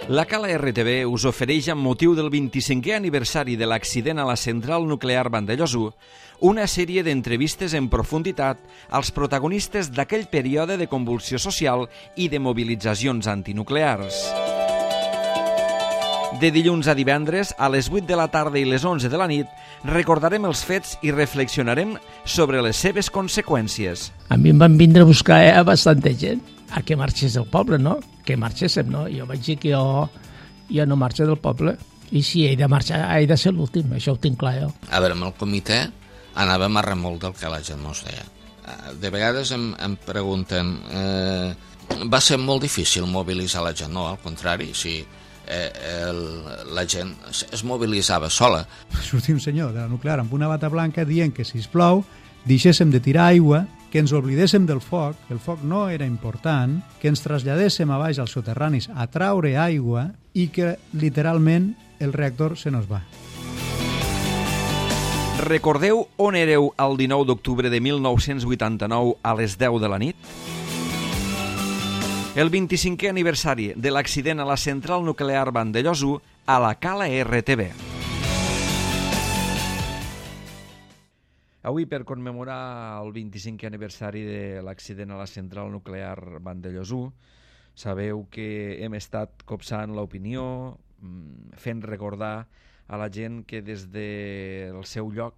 La Cala RTV us ofereix, amb motiu del 25è aniversari de l'accident a la central nuclear Vandellòs, una sèrie d'entrevistes en profunditat als protagonistes d'aquell període de convulsió social i de mobilitzacions antinuclears. De dilluns a divendres, a les 8 de la tarda i les 11 de la nit, recordarem els fets i reflexionarem sobre les seves conseqüències. A mi em van vindre a buscar bastanta gent a que marxés del poble, no? Que marxéssim, no? Jo vaig dir que jo no marxo del poble i si he de marxar he de ser l'últim, això ho tinc clar jo. A veure, amb el comitè anàvem a remolc del que la gent no es deia. De vegades em pregunten, va ser molt difícil mobilitzar la gent? No, al contrari, sí. La gent es mobilitzava sola. Sortia un senyor de la nuclear amb una bata blanca dient que, sisplau, deixéssim de tirar aigua, que ens oblidéssim del foc, que el foc no era important, que ens traslladéssim a baix als soterranis a traure aigua i que, literalment, el reactor se nos va. Recordeu on éreu el 19 d'octubre de 1989 a les 10 de la nit? El 25è aniversari de l'accident a la central nuclear Vandellòs a la Cala RTV. Avui, per commemorar el 25è aniversari de l'accident a la central nuclear Vandellòs, sabeu que hem estat copsant l'opinió, fent recordar a la gent que des del seu lloc,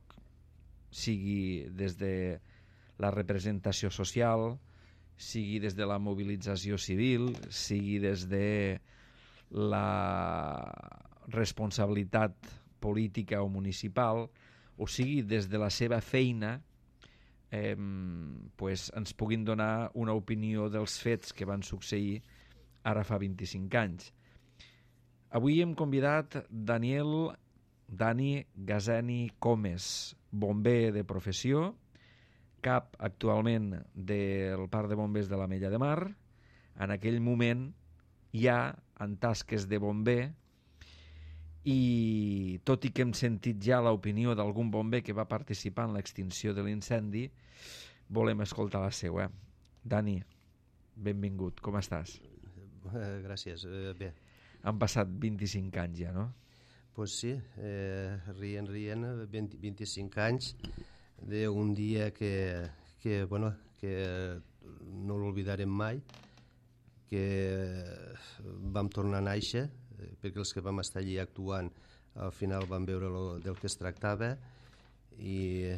sigui des de la representació social, sigui des de la mobilització civil, sigui des de la responsabilitat política o municipal, o sigui des de la seva feina, ens puguin donar una opinió dels fets que van succeir ara fa 25 anys. Avui hem convidat Dani Gazeni Comes, bomber de professió, cap actualment del Parc de Bombers de l'Ametlla de Mar. En aquell moment ja en tasques de bomber, i tot i que hem sentit ja l'opinió d'algun bomber que va participar en l'extinció de l'incendi, volem escoltar la seva. Dani, benvingut, com estàs? Gràcies, bé. Han passat 25 anys ja, no? Pues sí, rient, 25 anys d'un dia que no l'oblidarem mai, que vam tornar a néixer, perquè els que vam estar allí actuant al final vam veure del que es tractava i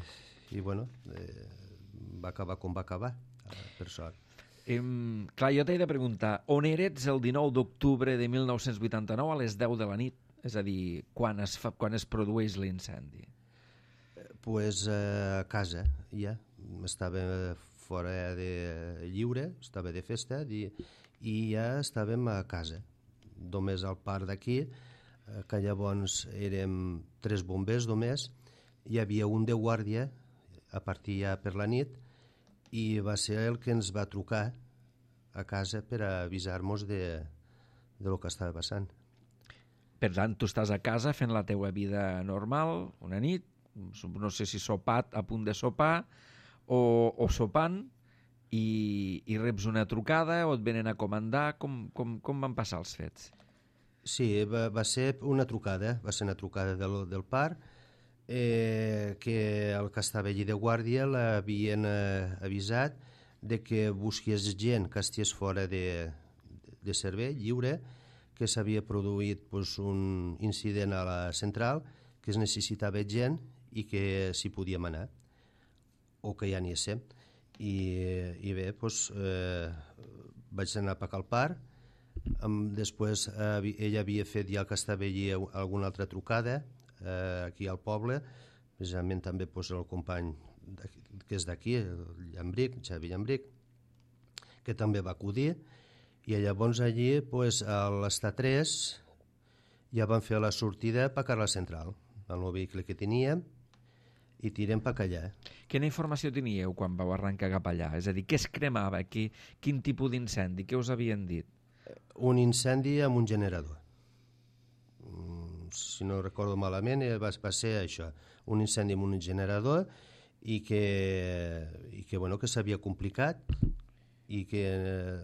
va acabar com va acabar, per sort. Clar, jo t'he de preguntar, on eres el 19 d'octubre de 1989 a les 10 de la nit? És a dir, quan es produeix l'incendi? Pues a casa, ja. Estava fora de lliure, estava de festa i ja estàvem a casa. Només al parc d'aquí, que llavors érem 3 bombers només, hi havia un de guàrdia a partir ja per la nit i va ser el que ens va trucar a casa per avisar-nos de lo que estava passant. Per tant, tu estàs a casa fent la teua vida normal, una nit, no sé si sopat, a punt de sopar, o sopant, i reps una trucada o et venen a comandar. Com van passar els fets? Sí, va ser una trucada, del parc, que el que estava allí de guàrdia l'havien avisat de que busqués gent que estigués fora de servei, lliure, que s'havia produït un incident a la central, que es necessitava gent i que s'hi podíem anar, o que ja n'hi essem. I bé, vaig anar a pagar al parc. Després ella havia fet ja que estava allí alguna altra trucada aquí al poble, precisament també el company que és d'aquí, el Xavi Llambric, que també va acudir, i llavors allí a l'Estat 3 ja van fer la sortida per a la central amb el vehicle que teníem i tirem per allà. Quina informació teníeu quan vau arrencar cap allà? És a dir, què es cremava? Quin tipus d'incendi? Què us havien dit? Un incendi amb un generador. Si no recordo malament, va ser això, un incendi amb un generador i que s'havia complicat i que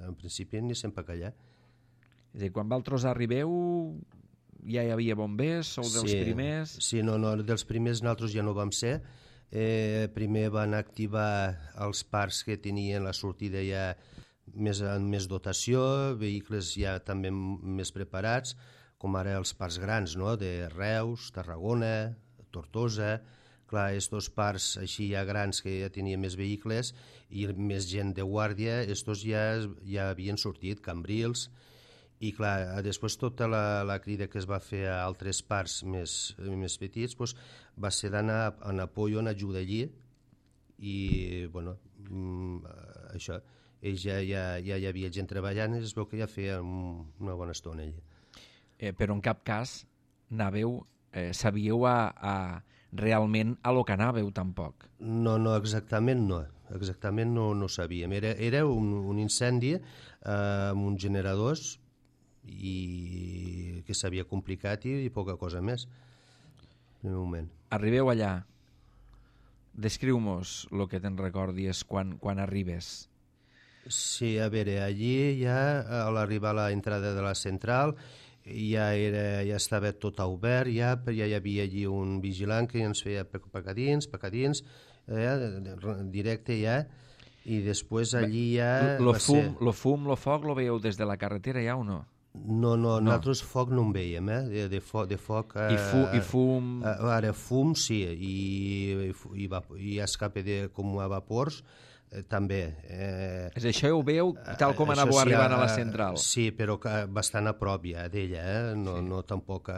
en principi anéssim per allà. És a dir, quan vosaltres arribeu ja hi havia bombers, sou dels primers? Sí, no, dels primers nosaltres ja no vam ser. Primer van activar els parcs que tenien la sortida ja amb més dotació, vehicles ja també més preparats, com ara els parcs grans, no? De Reus, Tarragona, Tortosa. Clar, estos parcs així ja grans que ja tenien més vehicles i més gent de guàrdia, estos ja havien sortit, Cambrils, i clar, després tota la crida que es va fer a altres parcs més petits doncs, va ser d'anar en apoyo, en ajuda allí, i bueno, això, ells ja hi havia gent treballant i es veu que ja feia una bona estona allí. Però en cap cas anàveu, sabíeu realment a lo que anàveu tampoc? No, exactament no sabíem. Era un incendi amb uns generadors i que s'havia complicat i poca cosa més en el moment. Arribeu allà, descriu-mos el que te'n recordis quan arribes. Sí, a veure, allí ja a l'arribar a l'entrada de la central ja estava tot obert, ja hi havia allí un vigilant que ens feia pecadins, directe ja, i després allí ja... Lo foc lo veieu des de la carretera ja o no? No, nosaltres foc no en veiem, de foc... I fum... Ara, fum sí, i escape com a vapors, també. És això ho veu tal com anàveu arribant a la central? Sí, però bastant a prop ja d'ella, no tampoc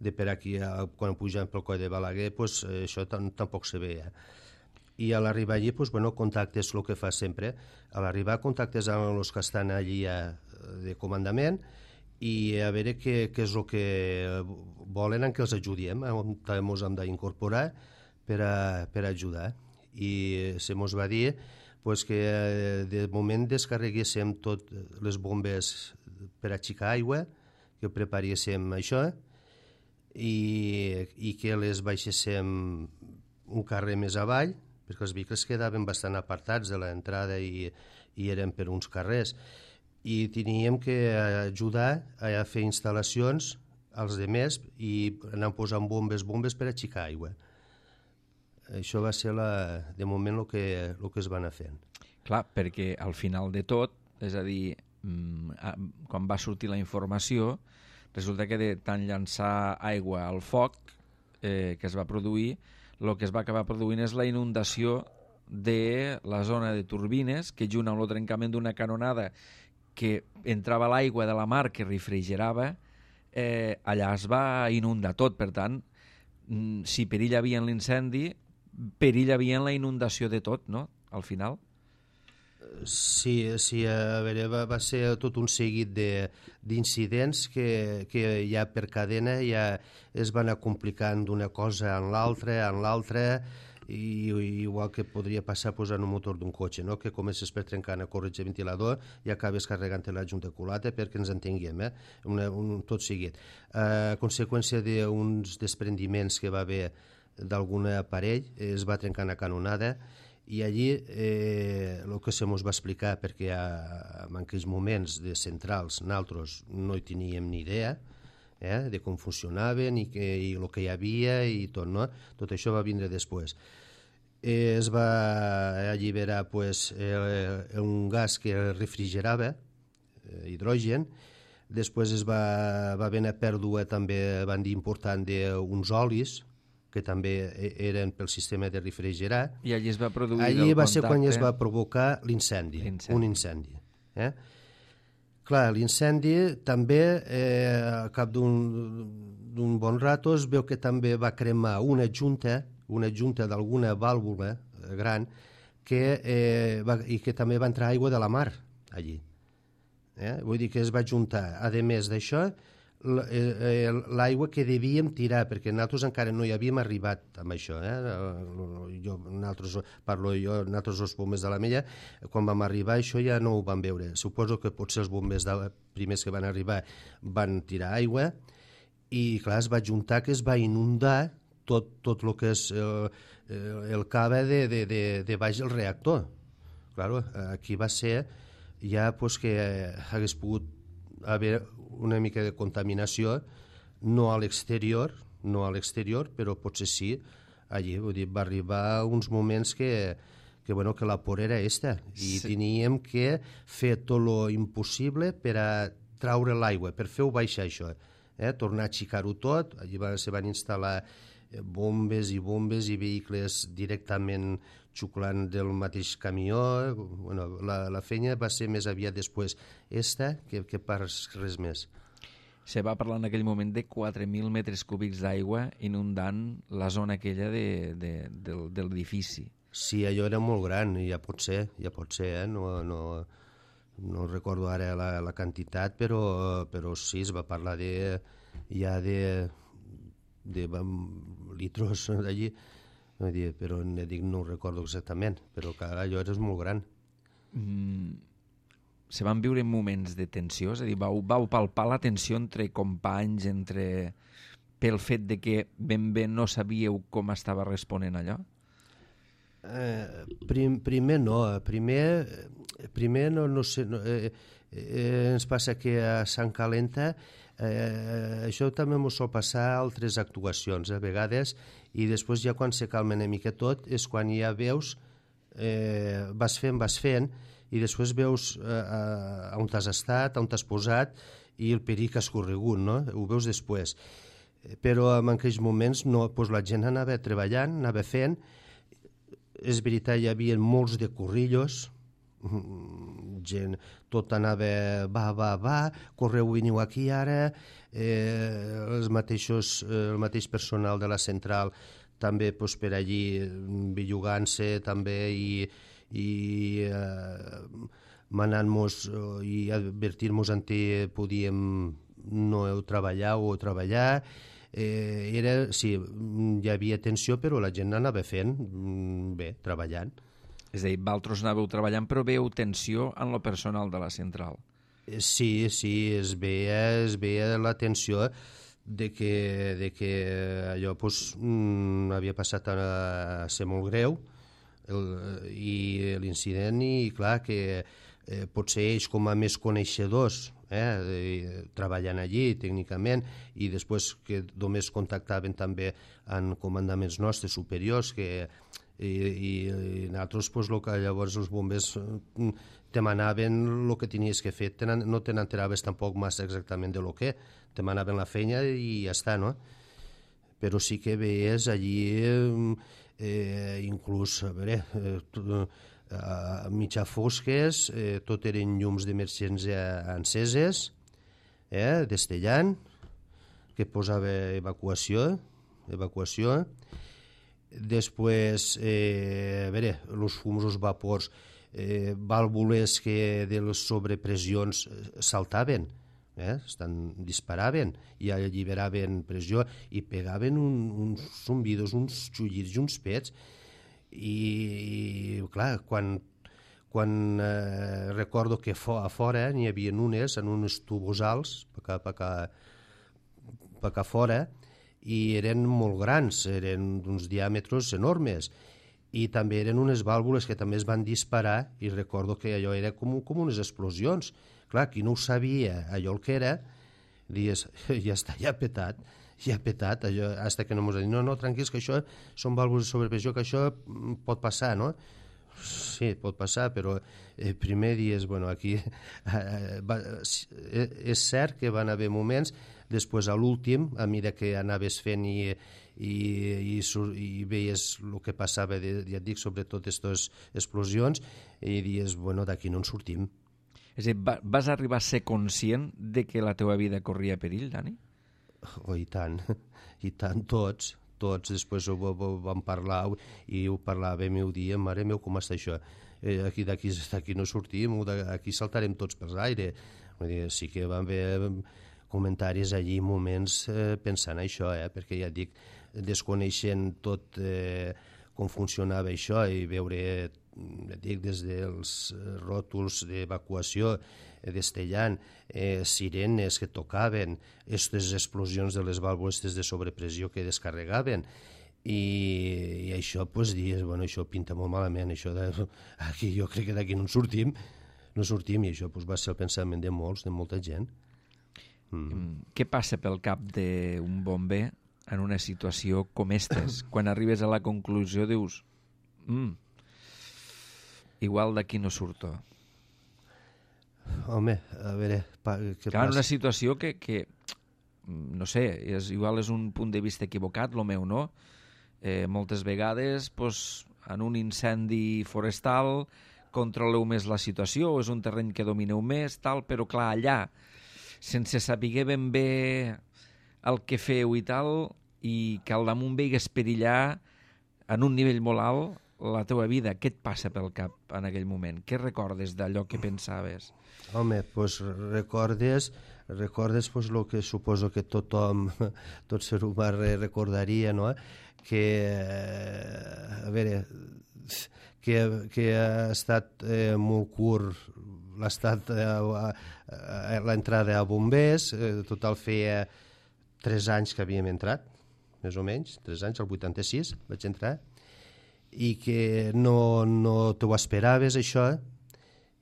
de per aquí, quan pujant pel coll de Balaguer, pues, això tampoc se veia. I a l'arribar allí, pues, bueno, contactes, el que fa sempre, a l'arribar contactes amb els que estan allí de comandament i a veure què és el que volen en què els ajudem, on ens hem d'incorporar per ajudar. I se mos va dir pues, que de moment descarreguéssim tot les bombes per aixecar aigua, que preparéssim això i que les baixéssim un carrer més avall, perquè els vehicles quedaven bastant apartats de l'entrada i eren per uns carrers, i teníem que ajudar a fer instal·lacions als demés i anar posant bombes per aixecar aigua. Això va ser de moment el que es va anar fent. Clar, perquè al final de tot, és a dir, quan va sortir la informació, resulta que de tant llançar aigua al foc que es va produir, el que es va acabar produint és la inundació de la zona de turbines, que junt amb el trencament d'una canonada que entrava l'aigua de la mar que refrigerava, allà es va inundar tot. Per tant, si perill hi havia en l'incendi, perill hi havia en la inundació de tot, no?, al final. Sí, a veure, va ser tot un seguit d'incidents que ja per cadena ja es van anar complicant d'una cosa en l'altra, i igual que podria passar en un motor d'un cotxe, no? Que comences per trencar una corretja de ventilador i acabes carregant la junta culata, perquè ens entenguem, tot seguit. A conseqüència d'uns desprendiments que va haver d'algun aparell, es va trencar una canonada, i allí el que se mos va explicar, perquè en aquells moments de centrals nosaltres no hi teníem ni idea de com funcionaven i el que hi havia i tot, no? Tot això va vindre després. Es va alliberar un gas que refrigerava, hidrogen. Després va haver una pèrdua també, van dir, important d'uns olis que també eren pel sistema de refrigerar. I allí es va produir allí va ser quan es va provocar l'incendi, un incendi. Clar, l'incendi també, al cap d'un bon rato, es veu que també va cremar una junta d'alguna vàlvula gran i que també va entrar aigua de la mar allí. Vull dir que es va juntar, a més d'això, l'aigua que devíem tirar, perquè nosaltres encara no hi havíem arribat amb això. Nosaltres els bombers de la Mella, quan vam arribar això ja no ho vam veure. Suposo que potser els bombers primers que van arribar van tirar aigua i clar, es va juntar, que es va inundar tot el que és el cava de baix del reactor. Claro, aquí va ser ja que hagués pogut haver una mica de contaminació, no a l'exterior, però potser sí allí. Vull dir, va arribar uns moments que la por era esta i teníem que fer tot lo impossible per a traure l'aigua, per fer-ho baixar això, tornar a aixecar-ho tot. Allí se van instal·lar bombes i vehicles directament xuclant del mateix camió. Bueno, la feina va ser més aviat després que per res més. Se va parlar en aquell moment de 4.000 metres cúbics d'aigua inundant la zona aquella de l'edifici. Sí, allò era molt gran, ja pot ser, no recordo ara la quantitat, però sí, es va parlar de litros d'allí, però no ho recordo exactament, però allò era molt gran. Se van viure moments de tensió? És a dir, vau palpar la tensió entre companys, pel fet de que ben bé no sabíeu com estava responent allò? Primer no, primer no sé, ens passa que a Sant Calenta això també ens sol passar a altres actuacions a vegades, i després ja quan se calma una mica tot és quan ja veus, vas fent i després veus on t'has estat, on t'has posat i el perill que has corregut, no? Ho veus després. Però en aquells moments no, doncs la gent anava treballant, anava fent. És veritat, hi havia molts de corrillos, gent, tot anava va, correu, veniu aquí ara, el mateix personal de la central també per allí bellugant-se també i manant-nos i advertir-nos en què podíem no treballar o treballar. Sí, hi havia tensió, però la gent anava fent bé, treballant. És a dir, vosaltres anàveu treballant, però veieu tensió en lo personal de la central. Sí, es veia la tensió de que allò havia passat a ser molt greu, i l'incident, i clar que potser ells com a més coneixedors treballant allí tècnicament, i després que només contactaven també amb comandaments nostres superiors i nosaltres el que llavors els bombers te manaven el que tenies que fer, no te n'enteraves tampoc massa exactament de lo que te manaven la feina i ja està, no? Però sí que veies allí inclús a mitjà fosques, tot eren llums d'emergència enceses, destellant, que posava evacuació. Després, els fums, els vapors, vàlvules que de les sobrepressions saltaven, disparaven i alliberaven pressió i pegaven uns zumbidos, uns xullirs i uns pets. I clar, quan recordo que a fora n'hi havia unes en uns tubos alts per cá fora, i eren molt grans, eren d'uns diàmetres enormes, i també eren unes vàlvules que també es van disparar, i recordo que allò era com unes explosions. Clar, qui no ho sabia allò el que era, dius, ja està, ja ha petat, allò, hasta que no m'ho dit, no, tranquils, que això són vàlvules de sobrepressió, que això pot passar, no? Sí, pot passar, però primer dies, aquí és cert que van haver moments, després a l'últim, a mesura que anaves fent i veies el que passava, ja et dic, sobretot aquestes explosions, i dies, d'aquí no en sortim. És a dir, vas arribar a ser conscient de que la teva vida corria perill, Dani? Oh, i tant, tots després ho vam parlar i ho parlàvem i ho diem, mare meu, com està això? D'aquí no sortim, aquí saltarem tots per l'aire. Sí que van haver comentaris allí, moments pensant això, perquè ja dic, desconeixent tot com funcionava això i veure, ja dic, des dels ròtols d'evacuació destellant, sirenes que tocaven, aquestes explosions de les vàlvules de sobrepressió que descarregaven, i això, dius, això pinta molt malament, aquí jo crec que d'aquí no en sortim, no sortim, i això va ser el pensament de molta gent. Què passa pel cap d'un bomber en una situació com estes? Quan arribes a la conclusió dius igual d'aquí no surto. Home, a veure, què Clar, passa? una situació que no sé, igual és un punt de vista equivocat, el meu, no? Moltes vegades, en un incendi forestal, controleu més la situació, o és un terreny que domineu més, tal, però clar, allà, sense saber ben bé el que feu i tal, i que al damunt veigues perillar en un nivell molt alt la teua vida, què et passa pel cap en aquell moment? Què recordes d'allò que pensaves? Home, doncs recordes el que suposo que tothom, tot ser humà recordaria, no? Que, a veure, que ha estat molt curt l'entrada a bombers, total feia 3 anys que havíem entrat, més o menys, 3 anys, el 86 vaig entrar, i que no t'ho esperaves, això,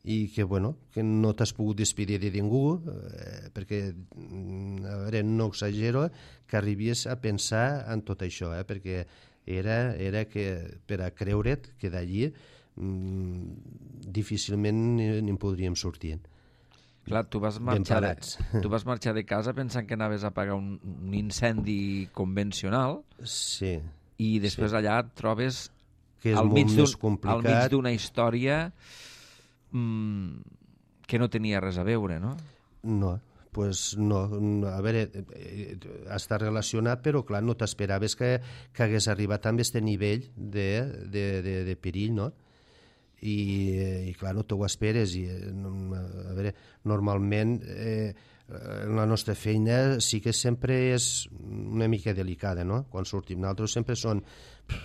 i que, bueno, que no t'has pogut despedir de ningú, perquè, a veure, no exagero, que arribies a pensar en tot això, perquè era que, per a creure't que d'allí difícilment n'hi podríem sortir. Clar, tu vas marxar de casa pensant que anaves a apagar un incendi convencional, sí, i després allà et trobes que és al molt més complicat, al mig d'una història que no tenia res a veure, no? No, no, a veure, està relacionat, però clar, no t'esperaves que hagués arribat amb aquest nivell de perill, no? I clar, no t'ho esperes, i a veure, normalment la nostra feina sí que sempre és una mica delicada, no? Quan sortim nosaltres sempre són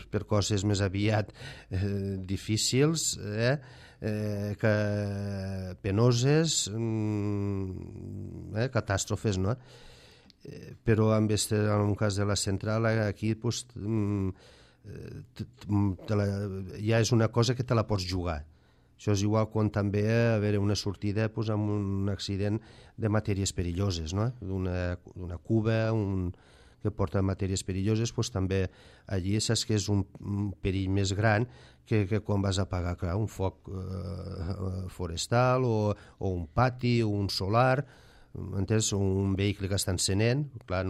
per coses més aviat difícils, que penoses, catàstrofes, no? Però en un cas de la central aquí pues, ja és una cosa que te la pots jugar. Això és igual quan també haver una sortida pues, amb un accident de matèries perilloses, no? D'una cuba, que porta matèries perilloses, pues, també allí saps que és un perill més gran que quan vas a apagar, clar, un foc forestal o un pati o un solar, entens? Un vehicle que està encenent, clar,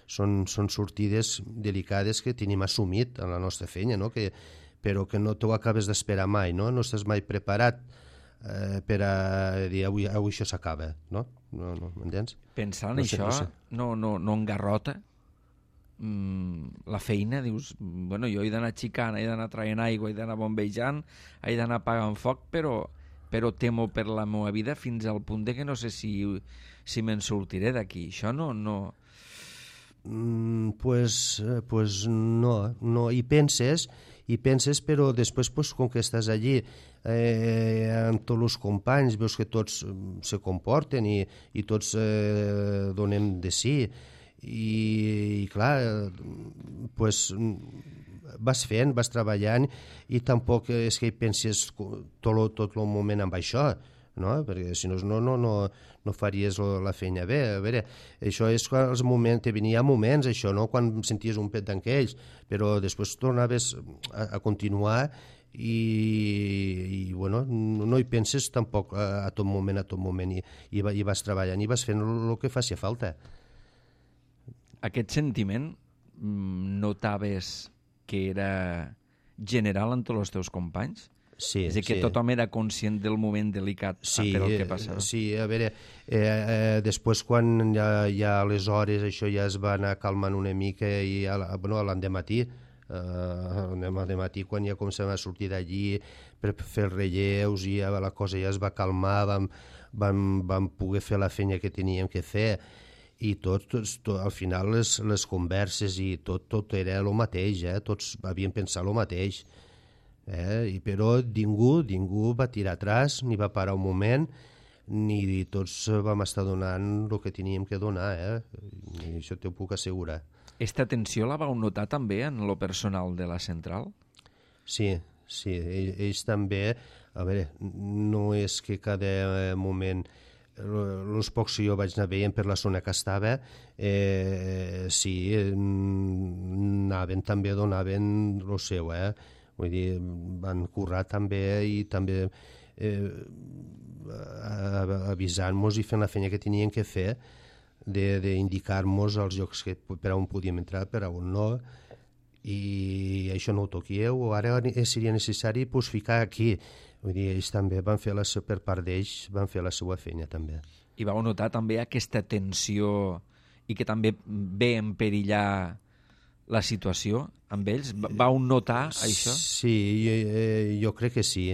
són sortides delicades que tenim assumit en la nostra feina, no? Però que no t'ho acabes d'esperar mai, no? No estàs mai preparat per a dir avui això s'acaba, no? No, m'entens? Pensant en això, no engarrota la feina, dius, bueno, jo he d'anar xicant, he d'anar traient aigua, he d'anar bombejant, he d'anar apagant foc, però temo per la meva vida fins al punt de que no sé si me'n sortiré d'aquí. Això no... Pues no, hi penses, però després, pues, com que estàs allí amb tots els companys, veus que tots se comporten i tots donem de sí, i clar, pues, vas fent, vas treballant, i tampoc és que hi penses tot el moment amb això, no? Perquè si no faries la feina bé. A veure, això és quan els moments, te venia moments, això, no? Quan senties un pet d'enquells, però després tornaves a continuar i bueno, no hi penses tampoc a tot moment, i vas treballant i vas fent el que faci falta. Aquest sentiment notaves que era general en tots els teus companys? Sí, és a dir, que tothom era conscient del moment delicat per el que passava. Sí, a veure, després quan ja a les hores això ja es va anar calmant una mica, i l'endematí, quan ja començàvem a sortir d'allí per fer els relleus, i ja la cosa ja es va calmar, vam poder fer la feina que teníem que fer, i al final les converses i tot era el mateix, tots havíem pensat el mateix. Però ningú va tirar atràs, ni va parar un moment, ni tots vam estar donant el que teníem que donar, i això t'ho puc assegurar. Esta tensió la vau notar també en lo personal de la central? Sí, ells també, a veure, no és que cada moment, els pocs que jo vaig anar veient per la zona que estava, sí, anaven també, donaven el seu, vull dir, van currar també i també avisant-nos i fent la feina que tenien que fer, d'indicar-nos els llocs per on podíem entrar, per on no, i això no ho toquieu, o ara seria necessari ficar aquí. Vull dir, ells també van fer per part d'ells, van fer la seva feina també. I vau notar també aquesta tensió i que també ve emperillar la situació amb ells? Vau notar això? Sí, jo crec que sí.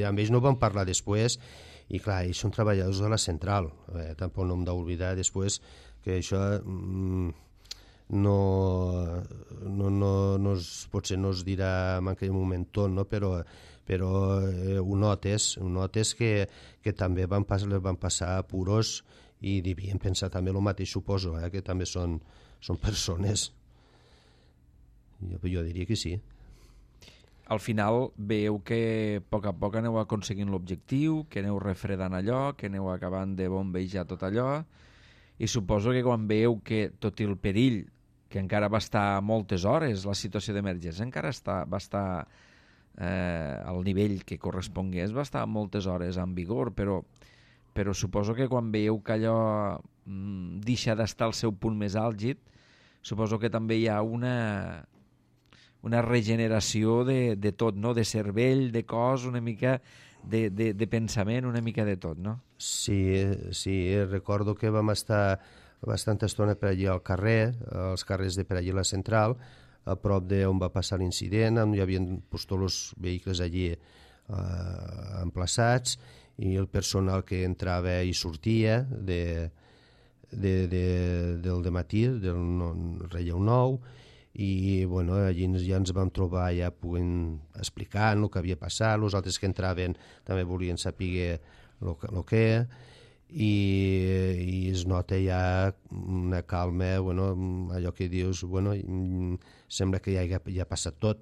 Amb ells no vam parlar després, i clar, ells són treballadors de la central. Tampoc no hem d'oblidar després que això potser no es dirà en aquell moment tot, no? Però ho notes que també van passar apuros i devien pensar també el mateix, suposo, que també són persones. Jo diria que sí. Al final veieu que a poc aneu aconseguint l'objectiu, que aneu refredant allò, que aneu acabant de bombejar tot allò, i suposo que quan veieu que tot i el perill, que encara va estar moltes hores, la situació d'emergència encara va estar al nivell que correspongués, va estar moltes hores en vigor, però suposo que quan veieu que allò deixa d'estar al seu punt més àlgid, suposo que també hi ha una regeneració de tot, no? De cervell, de cos, una mica de pensament, una mica de tot, no? Sí, recordo que vam estar bastanta estona per allà al carrer, als carrers de per allà a la central, a prop d'on va passar l'incident, hi havia tots els vehicles allí emplaçats, i el personal que entrava i sortia del dematí, del Relleu Nou, i bueno, allí ja ens vam trobar ja podent explicar el que havia passat, els altres que entraven també volien saber el que, i es nota ja una calma, allò que dius, sembla que ja ha passat tot,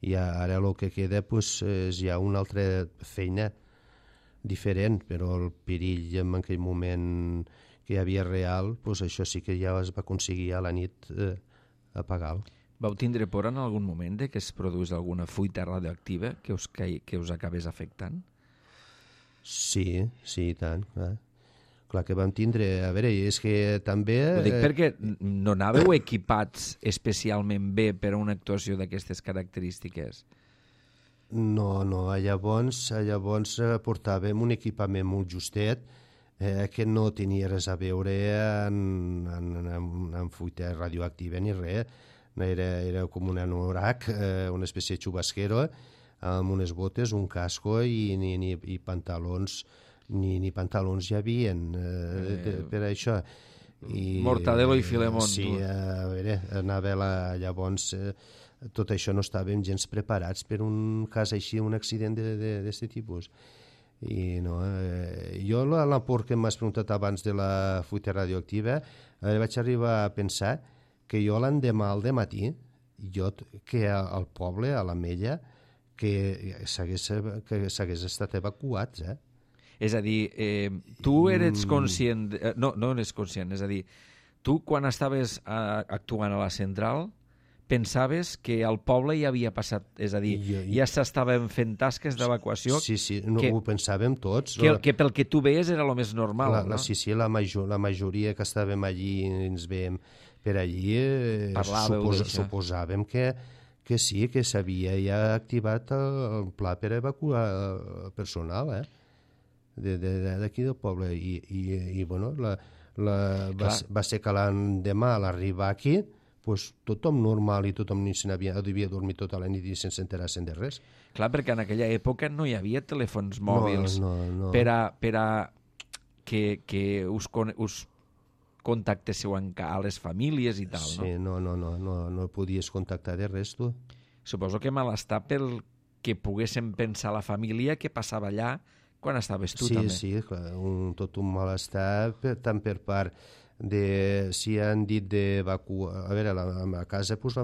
i ara el que queda és ja una altra feina diferent, però el perill en aquell moment que hi havia real, això sí que ja es va aconseguir a la nit apagar-lo. Vau tindre por en algun moment de que es produís alguna fuita radioactiva que us acabés afectant? Sí, i tant, clar que vam tindre. A veure, és que també... Ho dic perquè no anàveu equipats especialment bé per a una actuació d'aquestes característiques? No, llavors portàvem un equipament molt justet, que no tenia res a veure amb fuita radioactiva ni res. Era com un anorac, una espècie de xubasquero, amb unes botes, un casco i pantalons. Ni pantalons hi havia per això. Mortadelo i Filemón. Sí, a veure, llavors tot això no estàvem gens preparats per un cas així, un accident d'aquest tipus. I no, jo la por que m'has preguntat abans de la fuita radioactiva, vaig arribar a pensar que jo l'endemà al dematí, que al poble, a l'Ametlla, que s'hagués estat evacuats, És a dir, tu eres conscient... No eres conscient, és a dir, tu quan estaves actuant a la central pensaves que al poble ja havia passat, és a dir, ja s'estaven fent tasques d'evacuació... Sí, ho pensàvem tots. Que pel que tu veies era el més normal, no? Sí, la majoria que estàvem allí i ens veiem per allí, suposàvem que sí, que s'havia ja activat el pla per evacuar el personal, d'aquí del poble. I bueno, va ser que l'endemà a l'arribar aquí, tothom normal i tothom devia dormir tota la nit i sense enterar-se'n de res. Clar, perquè en aquella època no hi havia telèfons mòbils per a que us contactéssiu a les famílies i tal, no? Sí, no podies contactar de res, tu. Suposo que malestar pel que poguéssim pensar la família que passava allà quan estaves tu, també. Sí, clar, tot un malestar tant per part si han dit d'evacuar... A veure, a casa pues,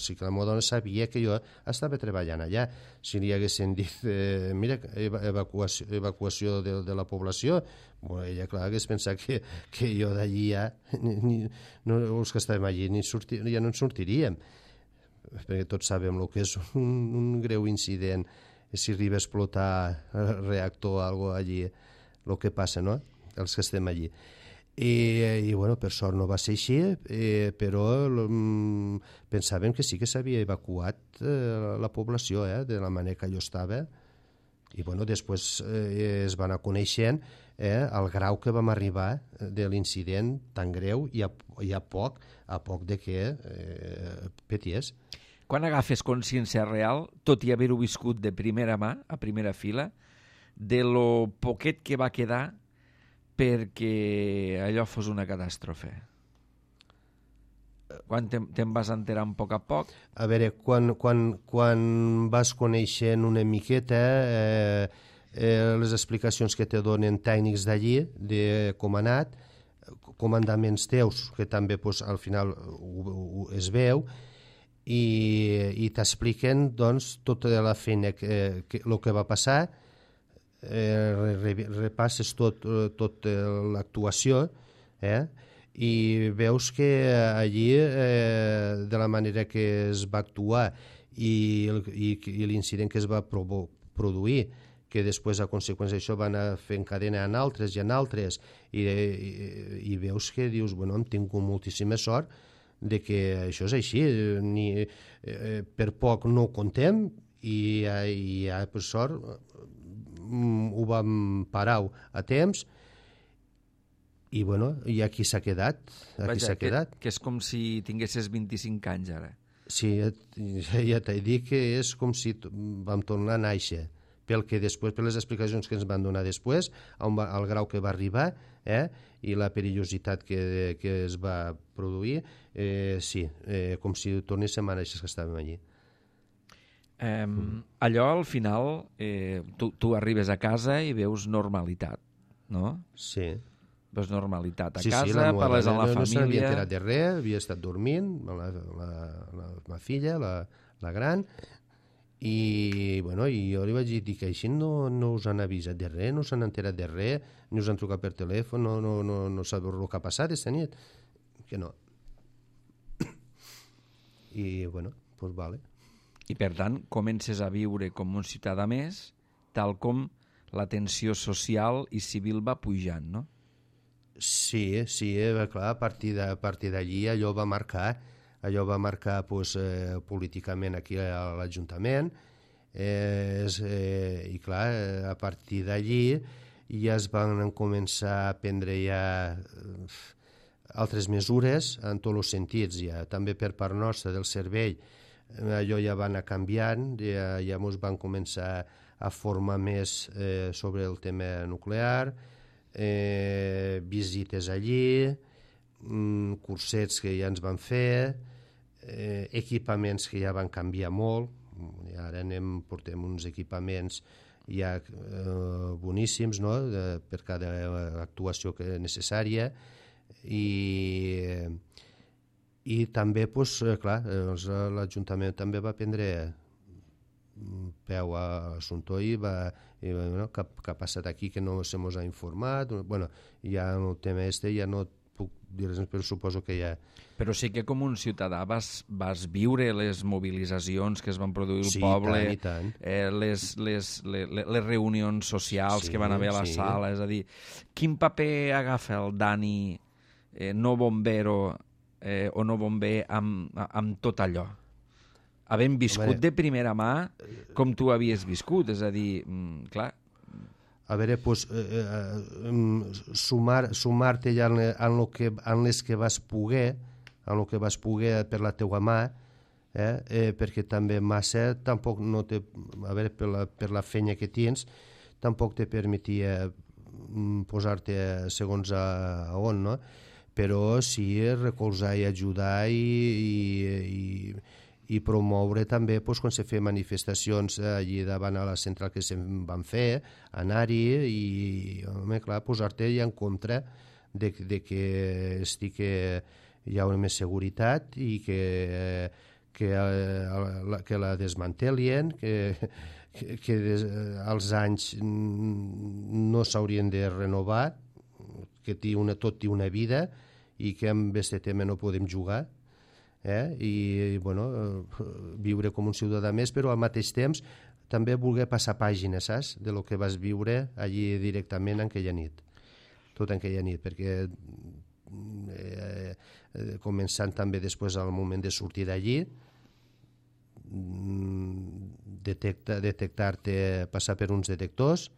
sí que la meva dona sabia que jo estava treballant allà. Si li haguessin dit, mira, evacuació de la població, bueno, ella, clar, hagués pensat que jo d'allí ja, els que estàvem allí ja no en sortiríem, perquè tots sabem el que és un greu incident si arriba a explotar el reactor o alguna cosa allí, el que passa, no?, els que estem allí. I bueno, per sort no va ser així, però pensàvem que sí que s'havia evacuat la població, de la manera que allò estava, i bueno, després es va anar coneixent el grau que vam arribar de l'incident tan greu i a poc de que petés. Quan agafes consciència real, tot i haver-ho viscut de primera mà, a primera fila, de lo poquet que va quedar perquè allò fos una catàstrofe? Quan te'n vas enterar a poc? A veure, quan vas coneixent una miqueta les explicacions que te donen tècnics d'allí, de com ha anat, comandaments teus, que també pues, al final es veu, i t'expliquen doncs, tota la feina, el que va passar, repasses tot l'actuació i veus que allí de la manera que es va actuar i l'incident que es va produir, que després a conseqüència d'això van fer en cadena en altres i en altres, i veus que dius, bueno, hem tingut moltíssima sort de que això és així, per poc no ho contem i per sort ho vam parar a temps i bueno, i aquí s'ha quedat. Que és com si tinguessis 25 anys ara. Sí, ja t'he dit que és com si vam tornar a néixer, pel que després, per les explicacions que ens van donar després, al grau que va arribar i la perillositat que es va produir, sí, com si tornéssim a néixer que estàvem allí. Allò al final tu arribes a casa i veus normalitat, no? Sí. Veus normalitat a casa, parles amb la família... No se n'havia enterat de res, havia estat dormint la filla, la gran, i bueno, jo li vaig dir que així no us han avisat de res, no s'han enterat de res, ni us han trucat per telèfon, no sabeu el que ha passat aquesta nit, que no. I bueno, doncs vale. I per tant comences a viure com un ciutadà més, tal com la tensió social i civil va pujant, no? Sí, clar, a partir d'allí allò va marcar pues, políticament aquí a l'Ajuntament, i clar, a partir d'allí ja es van començar a prendre ja altres mesures en tots els sentits, ja també per part nostra del servei. Allò ja va anar canviant, ja ens van començar a formar més sobre el tema nuclear, visites allí, cursets que ja ens van fer, equipaments que ja van canviar molt, i ara portem uns equipaments ja boníssims, no?, per cada actuació necessària, i també, pues, clar, l'Ajuntament també va prendre peu a l'assumpte i bueno, què ha passat aquí que no se mos ha informat. Bueno, ja el tema ja no puc dir res, però suposo que ja... Però sí que com un ciutadà vas viure les mobilitzacions que es van produir al poble, i tant. Les reunions socials que van haver a la sala, és a dir, quin paper agafa el Dani no bombero o no bomber amb tot allò? Havent viscut de primera mà com tu havies viscut, és a dir, clar... A veure, pues, sumar-te ja en les que vas poder, per la teua mà, perquè també massa tampoc no te... A veure, per la feina que tens, tampoc te permetia posar-te segons a on, no? Però sí recolzar i ajudar i promoure també quan se feien manifestacions allí davant a la central que se'n van fer, anar-hi i, home, clar, posar-te ja en contra de hi ha una més seguretat i que la desmantelien, que als anys no s'haurien de renovar, que tot té una vida i que amb aquest tema no podem jugar, i bueno, viure com un ciutadà més, però al mateix temps també voler passar pàgines, saps?, de lo que vas viure allí directament en aquella nit, tot en aquella nit, perquè començant també després al moment de sortir d'allí, detectar-te, passar per uns detectors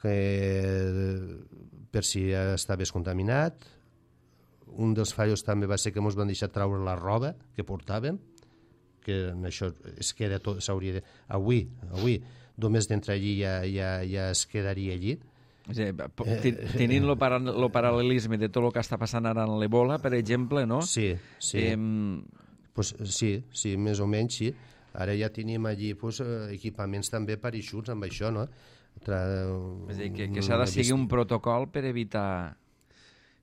per si estaves contaminat. Un dels fallos també va ser que ens van deixar treure la roba que portàvem, que en això es queda tot, s'hauria de... Avui, només d'entrar allí ja es quedaria allí. Tenint el paral·lelisme de tot el que està passant ara en l'Ebola, per exemple, no? Sí. Pues sí, més o menys, sí. Ara ja tenim allí equipaments també per eixuts amb això, no? És a dir, que s'ha de seguir un protocol per evitar...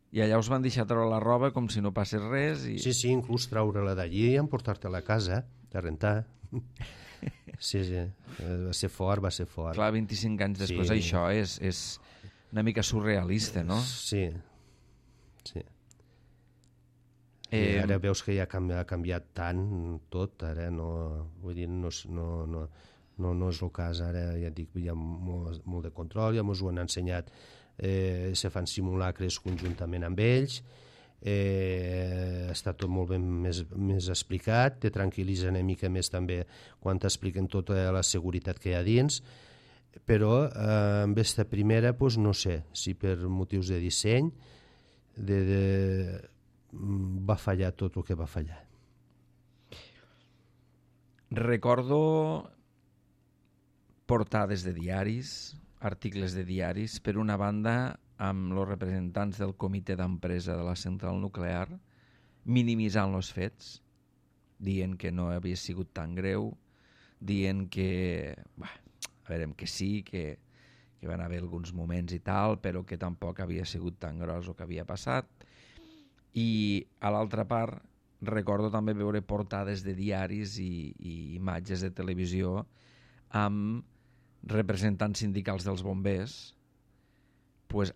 I allà us van deixar treure la roba com si no passés res. Sí, inclús treure-la d'allí i emportar-te-la a casa, de rentar. Sí, va ser fort. Clar, 25 anys després, això és una mica surrealista, no? Sí. I ara veus que ja ha canviat tant tot, ara vull dir, no és el cas, ara ja et dic, hi ha molt de control, ja ens ho han ensenyat, se fan simulacres conjuntament amb ells, està tot molt ben més explicat, te tranquil·litza una mica més també quan t'expliquen tota la seguretat que hi ha dins, però amb aquesta primera no sé si per motius de disseny va fallar tot el que va fallar. Recordo portades de diaris, articles de diaris, per una banda amb els representants del comitè d'empresa de la central nuclear minimitzant els fets, dient que no havia sigut tan greu, dient que que sí, que van haver alguns moments i tal, però que tampoc havia sigut tan gros el que havia passat. I a l'altra part recordo també veure portades de diaris i imatges de televisió amb representants sindicals dels bombers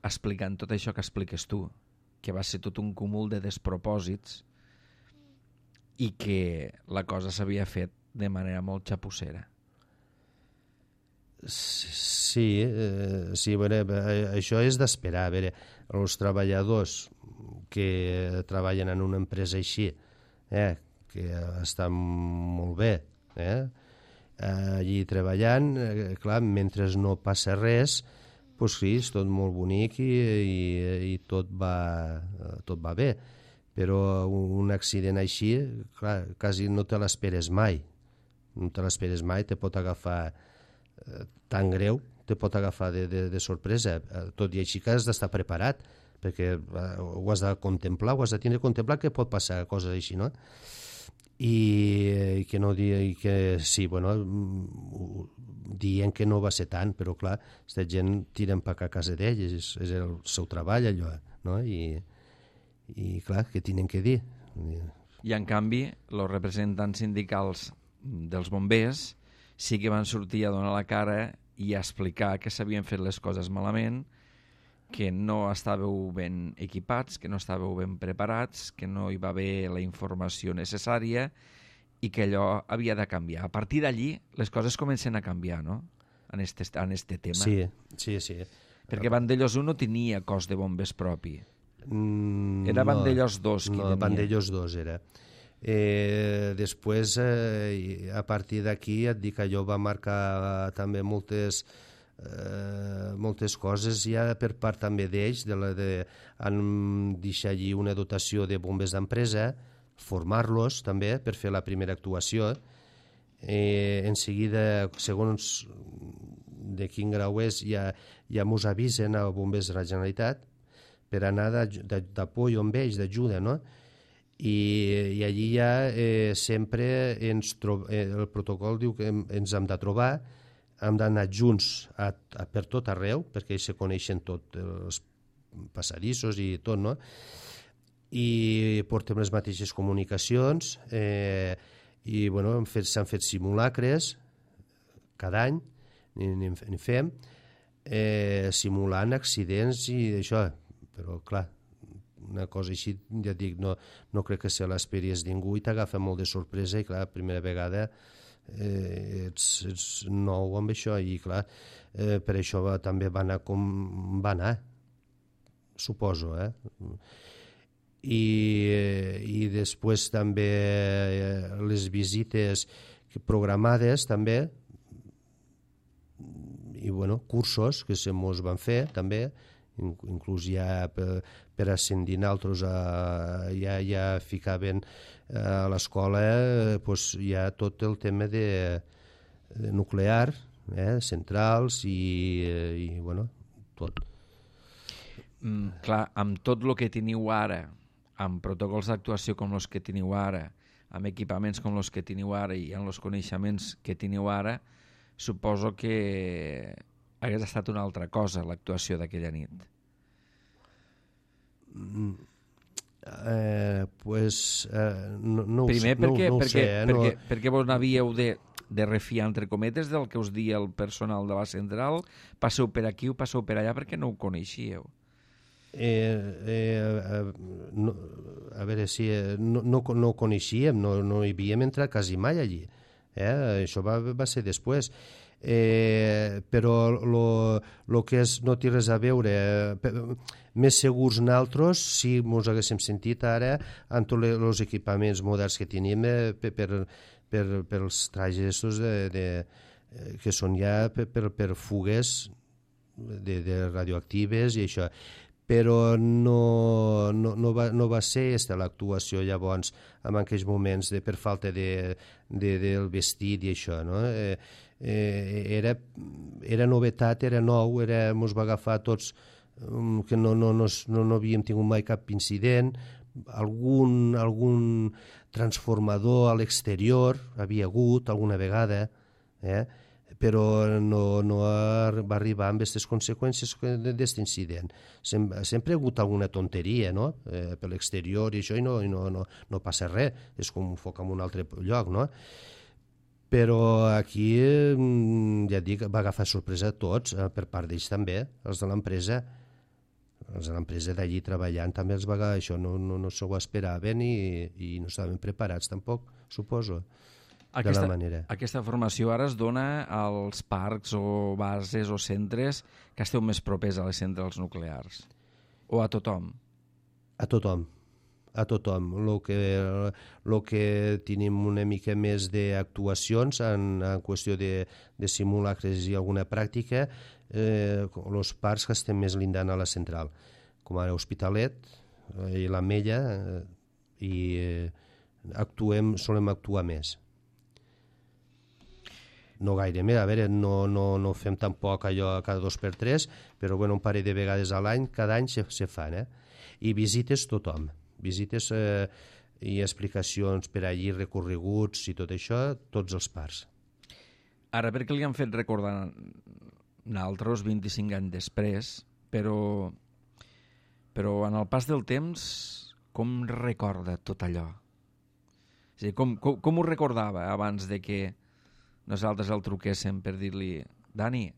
explicant tot això que expliques tu, que va ser tot un cúmul de despropòsits i que la cosa s'havia fet de manera molt xapussera. Sí, això és d'esperar. A veure, els treballadors que treballen en una empresa així, que estan molt bé, allí treballant, clar, mentre no passa res, doncs sí, és tot molt bonic i tot va bé, però un accident així, clar, quasi no te l'esperes mai, te pot agafar tan greu, te pot agafar de sorpresa, tot i així que has d'estar preparat, perquè ho has de contemplar, ho has de tindre contemplat que pot passar coses així, no? I que no digui que sí, bueno, dient que no va ser tant, però clar, aquesta gent tiren per a casa d'ells, és el seu treball allò, no? I clar, què tenen que dir? I en canvi, els representants sindicals dels bombers sí que van sortir a donar la cara i a explicar que s'havien fet les coses malament, que no estàveu ben equipats, que no estàveu ben preparats, que no hi va haver la informació necessària i que allò havia de canviar. A partir d'allí, les coses comencen a canviar, no?, en este tema. Sí. Perquè Vandellòs 1 no tenia cos de bombers propi. Era Vandellòs 2 qui tenia. No, Vandellòs 2 era. Després, a partir d'aquí, et dic que allò va marcar també moltes coses ja per part també d'ells, han deixat allí una dotació de bombers d'empresa, formar-los també per fer la primera actuació. En seguida, segons de quin grau és, ja mos avisen a bombers de la Generalitat per anar d'apoyo amb ells, d'ajuda, no? I allí ja sempre el protocol diu que ens hem de trobar, hem d'anar junts per tot arreu, perquè ells se coneixen tots els passadissos i tot, no? I portem les mateixes comunicacions i bueno, s'han fet simulacres cada any, n'hi fem, simulant accidents i això, però clar, una cosa així, ja dic, no crec que se l'esperis ningú i t'agafa molt de sorpresa i clar, primera vegada ets nou amb això i clar, per això també va anar com va anar, suposo, i després també les visites programades també i bueno, cursos que se mos van fer també, inclús ja per ascendir naltros ja ficaven a l'escola ja tot el tema de nuclear, centrals i bueno, tot. Clar, amb tot el que teniu ara, amb protocols d'actuació com els que teniu ara, amb equipaments com els que teniu ara i amb els coneixements que teniu ara, suposo que hagués estat una altra cosa l'actuació d'aquella nit. No primer ho sé. Perquè vos n'havíeu de refiar, entre cometes, del que us dia el personal de la central, passeu per aquí o passeu per allà perquè no ho coneixíeu. A veure, si no ho coneixíem, no hi havíem entrat quasi mai allí. Això va ser després. Però el que no té res a veure, més segurs nosaltres, si ens haguéssim sentit ara amb tots els equipaments moderns que tenim pels trajes que són ja per fugues de radioactives i això, però no va ser l'actuació llavors en aquells moments per falta del vestit i això, no? Era novetat, era nou, ens va agafar tots que no havíem tingut mai cap incident, algun transformador a l'exterior havia hagut alguna vegada, però no va arribar amb aquestes conseqüències d'aquest incident. Sempre ha hagut alguna tonteria, no? Per l'exterior i això, i no passa res, és com un foc en un altre lloc, no? Però aquí, ja dic, va agafar sorpresa a tots, per part d'ells també, els de l'empresa. Els de l'empresa d'allí treballant també els va agafar això, no s'ho esperaven i no estaven preparats tampoc, suposo, de la manera. Aquesta formació ara es dona als parcs o bases o centres que esteu més propers a les centrals nuclears? O a tothom? A tothom. A tothom. El que tenim una mica més d'actuacions en qüestió de simulacres i alguna pràctica, els parcs que estem més lindant a la central, com ara Hospitalet i l'Ametlla, i solem actuar més. No gaire més, a veure, no fem tampoc allò cada 2 per 3, però bueno, un parell de vegades a l'any, cada any se fan, i visites tothom. Visites i explicacions per allí, recorreguts i tot això, tots els parcs. Ara, perquè li han fet recordar nosaltres 25 anys després, però en el pas del temps, com recorda tot allò? És a dir, com ho recordava abans de que nosaltres el truquéssim per dir-li Dani,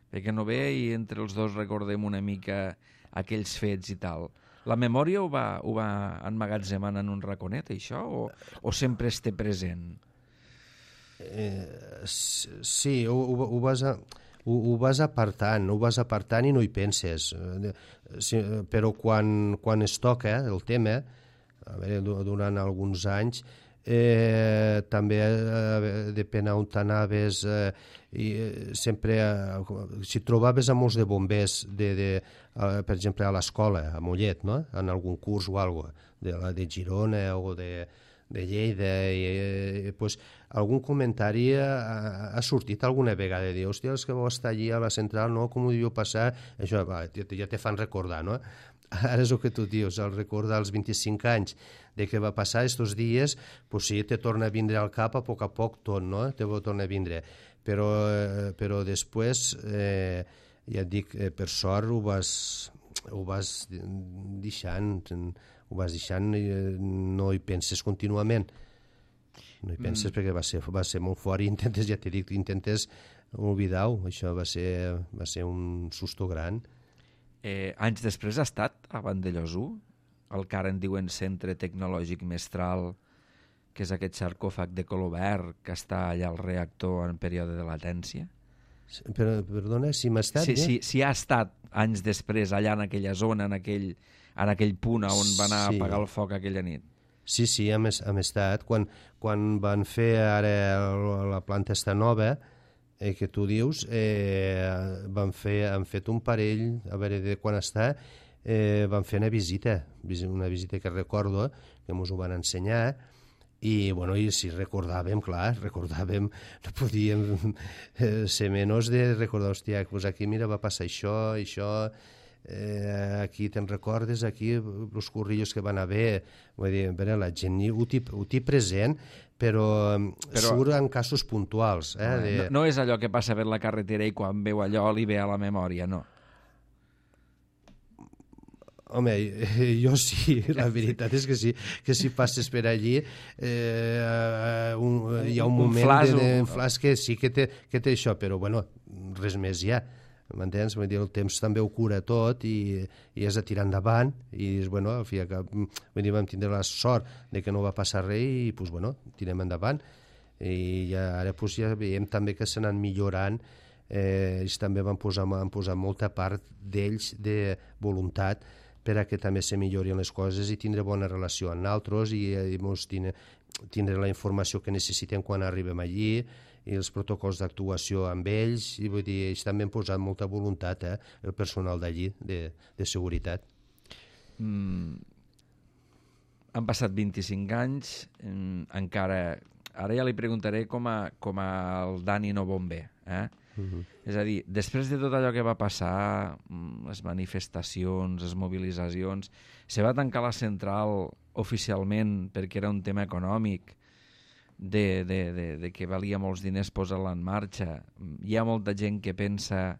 perquè no ve i entre els dos recordem una mica aquells fets i tal. La memòria ho va emmagatzemant en un raconet, això? O sempre es té present? Sí, ho vas apartant i no hi penses. Però quan es toca el tema, a veure, durant alguns anys, també depèn on t'anaves, sempre si trobaves a molts de bombers per exemple a l'escola a Mollet, no? En algun curs o alguna cosa de Girona o de Lleida, pues, algun comentari ha sortit alguna vegada de dir, hòstia, els que vau estar allí a la central, no? Com ho deviu passar? Això ja te fan recordar, no? Ara és el que tu dius, al recordar els 25 anys de què va passar aquests dies, pues sí, te torna a vindre al cap a poc tot, no? Te torna a vindre. Però després, ja et dic, per sort ho vas ho vas deixant, no hi penses contínuament. No hi penses perquè va ser molt fort i intentes, ja t'he dit, intentes oblidar-ho. Això va ser un susto gran. Anys després ha estat a Vandellòs 1, el que ara en diuen Centre Tecnològic Mestral, que és aquest sarcòfag de color verd que està allà al reactor en període de latència? Perdona, si m'ha estat... Si ha estat anys després allà en aquella zona, en aquell punt on va anar a apagar el foc aquella nit. Sí, hem estat. Quan van fer ara la planta esta nova, que tu dius, han fet un parell, a veure de quan està, van fer una visita que recordo, que ens ho van ensenyar, i si recordàvem, no podíem ser menys de recordar, hòstia, doncs aquí mira va passar això, aquí te'n recordes, aquí els currillos que van haver, vull dir, la gent ho té present, però surt en casos puntuals. No és allò que passa per la carretera i quan veu allò li ve a la memòria, no. Home, jo sí, la veritat és que sí, que si passes per allí hi ha un moment de flash que sí que té això, però bueno, res més ja, m'entens? Vull dir, el temps també ho cura tot i has de tirar endavant i bueno, al fi vam tindre la sort de que no va passar res i pues, bueno, tirem endavant i ara pues, ja veiem també que s'han millorant. Ells també van posar molta part d'ells de voluntat per a que també se millorin les coses i tindre bona relació amb nosaltres i tindre la informació que necessitem quan arribem allí i els protocols d'actuació amb ells, i vull dir, ells també han posat molta voluntat, el personal d'allí, de seguretat. Han passat 25 anys, encara... Ara ja li preguntaré com al Dani no bomber, És a dir, després de tot allò que va passar, les manifestacions, les mobilitzacions, se va tancar la central oficialment perquè era un tema econòmic, de que valia molts diners posar-la en marxa. Hi ha molta gent que pensa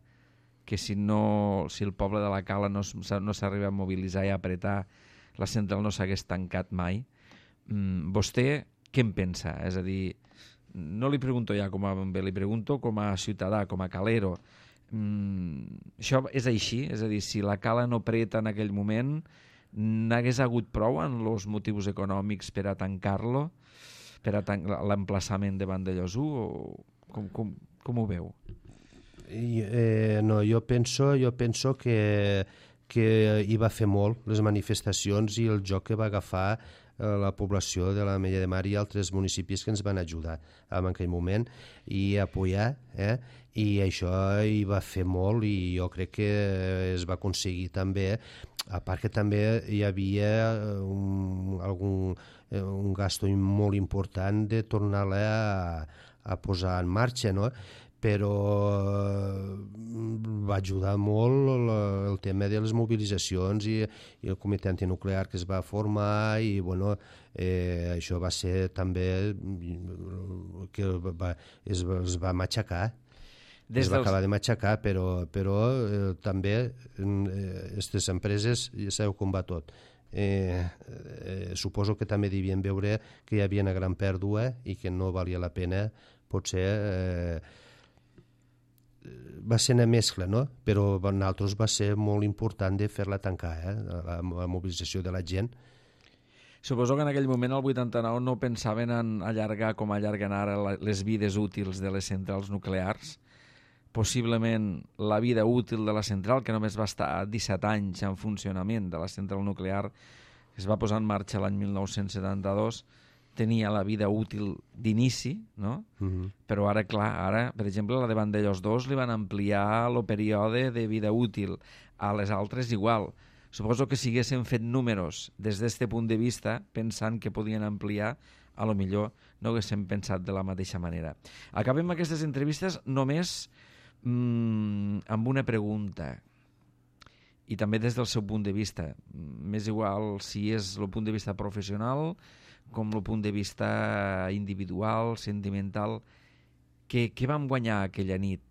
que si el poble de la Cala no s'arriba a mobilitzar i a apretar, la central no s'hagués tancat mai. Vostè què en pensa? És a dir, no li pregunto ja com a bomber, li pregunto com a ciutadà, com a calero. Això és així? És a dir, si la Cala no preta en aquell moment, n'hagués hagut prou en els motius econòmics per a tancar-lo, per a l'emplaçament de Vandellòs 1, o com ho veu? No, jo penso que hi va fer molt les manifestacions i el joc que va agafar la població de l'Ametlla de Mar i altres municipis que ens van ajudar en aquell moment i apoyar, i això hi va fer molt i jo crec que es va aconseguir també, a part que també hi havia un gasto molt important de tornar-la a posar en marxa, no? Però va ajudar molt el tema de les mobilitzacions i el comitè antinuclear que es va formar i bueno, això va ser també que es va matxacar. Es va acabar de matxacar, però també aquestes empreses ja sabeu com va tot. Suposo que també devien veure que hi havia una gran pèrdua i que no valia la pena potser va ser una mescla, no? Però per nosaltres va ser molt important de fer-la tancar, la mobilització de la gent. Suposo que en aquell moment, el 89, no pensaven en allargar com allarguen ara les vides útils de les centrals nuclears. Possiblement la vida útil de la central, que només va estar 17 anys en funcionament, de la central nuclear, que es va posar en marxa l'any 1972, tenia la vida útil d'inici, no? Però ara, clar, per exemple, la de Vandellòs 2 li van ampliar el període de vida útil, a les altres igual. Suposo que si haguessin fet números des d'aquest punt de vista, pensant que podien ampliar, a lo millor no haguéssim pensat de la mateixa manera. Acabem aquestes entrevistes només amb una pregunta, i també des del seu punt de vista. M'és igual si és el punt de vista professional com el punt de vista individual, sentimental. Què vam guanyar aquella nit?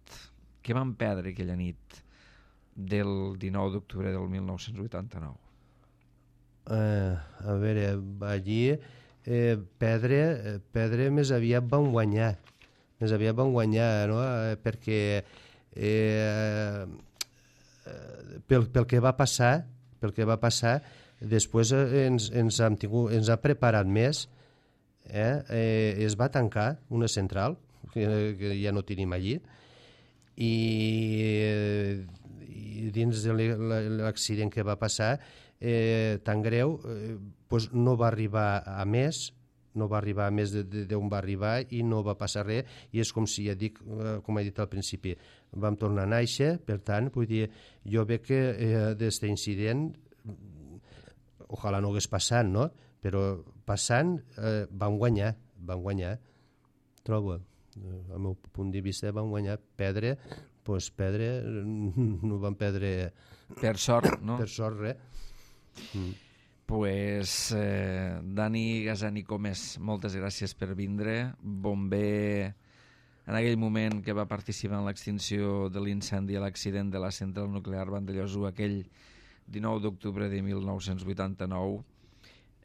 Què vam perdre aquella nit? del 19 d'octubre del 1989? A veure, allí Pedre més aviat van guanyar. No? Perquè pel que va passar, després ens ha preparat més. Es va tancar una central, que ja no tenim allí, i dins de l'accident que va passar, tan greu, no va arribar a més, d'on va arribar i no va passar res, i és com si, com he dit al principi, vam tornar a néixer. Per tant, vull dir, jo veig que d'aquest incident, ojalà no hagués passat, no? Però passant van guanyar, trobo, al meu punt de vista van guanyar. Pedre no van perdre per sort, no? Per sort, res. Pues, Dani Gazani Comes, moltes gràcies per vindre. Bomber en aquell moment que va participar en l'extinció de l'incendi a l'accident de la central nuclear Vandellòs, aquell 19 d'octubre de 1989,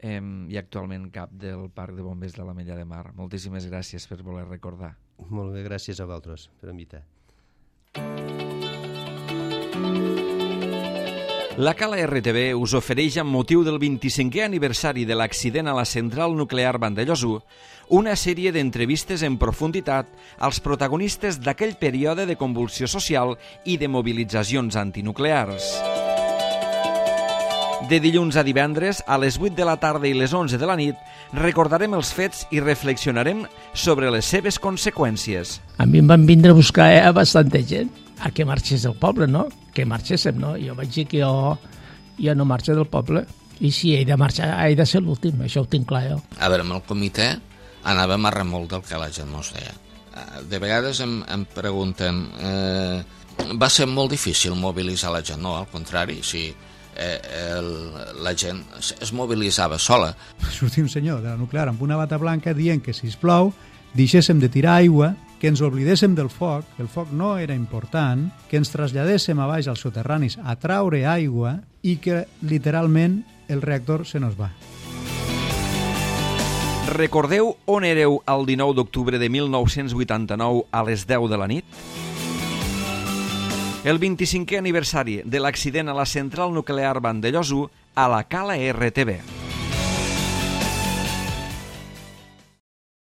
i actualment cap del Parc de Bombers de l'Ametlla de Mar. Moltíssimes gràcies per voler recordar. Molt bé, gràcies a vosaltres per invitar. La Cala RTV us ofereix, amb motiu del 25è aniversari de l'accident a la central nuclear Vandellòs, una sèrie d'entrevistes en profunditat als protagonistes d'aquell període de convulsió social i de mobilitzacions antinuclears. De dilluns a divendres, a les 8 de la tarda i les 11 de la nit, recordarem els fets i reflexionarem sobre les seves conseqüències. A mi em van vindre a buscar bastanta gent a que marxés del poble, no? Que marxéssim, no? Jo vaig dir que jo no marxo del poble, i si he de marxar, he de ser l'últim, això ho tinc clar jo. A veure, amb el comitè anàvem a remolc del que la gent no es deia. De vegades em pregunten, va ser molt difícil mobilitzar la gent? No, al contrari, sí. La gent es mobilitzava sola. Sortia un senyor de la nuclear amb una bata blanca dient que, sisplau, deixéssim de tirar aigua, que ens oblidéssim del foc, el foc no era important, que ens traslladéssim a baix als soterranis a traure aigua i que, literalment, el reactor se nos va. Recordeu on éreu el 19 d'octubre de 1989 a les 10 de la nit? El 25è aniversari de l'accident a la central nuclear Vandellòs a la Cala RTV.